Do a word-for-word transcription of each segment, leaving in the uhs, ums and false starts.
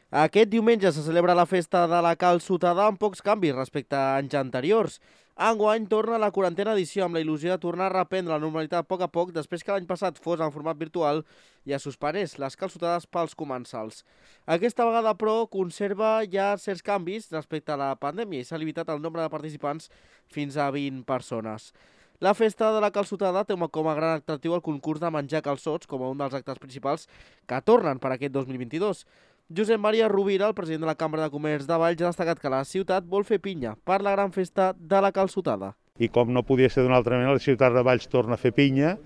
Aquest diumenge se celebra la festa de la Calçotada amb pocs canvis respecte a anys anteriors. Enguany torna la quarantena edició amb la il·lusió de tornar a reprendre la normalitat a poc a poc després que l'any passat fos en format virtual i es suspenés les calçotades pels comensals. Aquesta vegada, però, conserva ja certs canvis respecte a la pandèmia i s'ha limitat el nombre de participants fins a vint persones. La festa de la Calçotada té com a gran atractiu el concurs de menjar calçots com a un dels actes principals que tornen per aquest dos mil vint-i-dos. Josep Maria Rovira, el president de la Cambra de Comerç de Valls, ha destacat que la ciutat vol fer pinya per la gran festa de la Calçotada. I com no podia ser d'una altra manera, la ciutat de Valls torna a fer pinya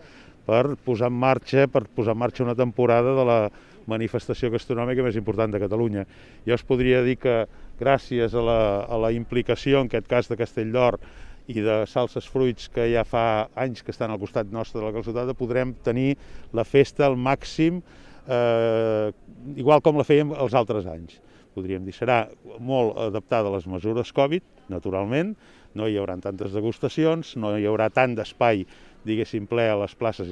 per posar en marxa, per posar en marxa una temporada de la manifestació gastronòmica més important de Catalunya. Jo us podria dir que gràcies a la, a la implicació, en aquest cas de Castelldor, i de Salses Fruits, que ja fa anys que estan al costat nostre de la Calçotada, podrem tenir la festa al màxim, eh, igual com la fèiem els altres anys. Podríem dir, serà molt adaptada a les mesures Covid, naturalment, no hi haurà tantes degustacions, no hi haurà tant d'espai, diguéssim, ple a les places.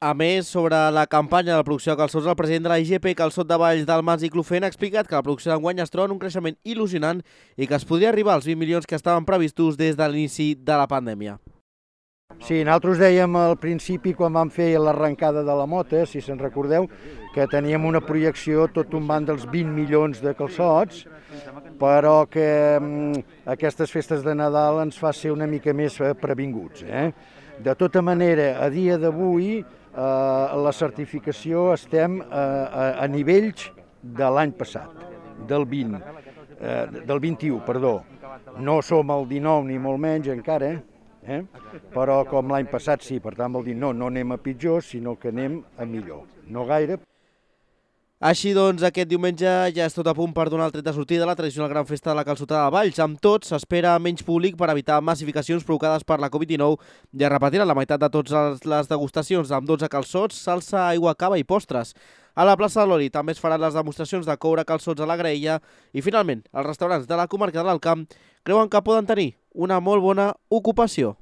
A més, sobre la campanya de la producció de calçots, el president de la I G P Calçot de Valls del Mas i Clofent ha explicat que la producció d'enguany es troba en un creixement il·lusionant i que es podria arribar als vint milions que estaven previstos des de l'inici de la pandèmia. Sí, nosaltres dèiem al principi, quan vam fer l'arrencada de la mota, si se'n recordeu, que teníem una projecció tot tombant dels vint milions de calçots, però que mm, aquestes festes de Nadal ens fa ser una mica més previnguts. Eh? De tota manera, a dia d'avui, eh, la certificació estem eh, a, a nivells de l'any passat, del vint, eh, del vint-i-u, perdó. No som al dinou ni molt menys encara, eh? Però com l'any passat sí, per tant vol dir no, no anem a pitjor, sinó que anem a millor. No gaire. Així doncs, aquest diumenge ja és tot a punt per donar el tret de sortida a la tradicional gran festa de la Calçotada de Valls. Amb tot, s'espera menys públic per evitar massificacions provocades per la Covid dinou i es repetiran la meitat de totes les degustacions amb dotze calçots, salsa, aigua, cava i postres. A la plaça de l'Oli també es faran les demostracions de coure calçots a la graella i, finalment, els restaurants de la comarca de l'Alt Camp creuen que poden tenir una molt bona ocupació.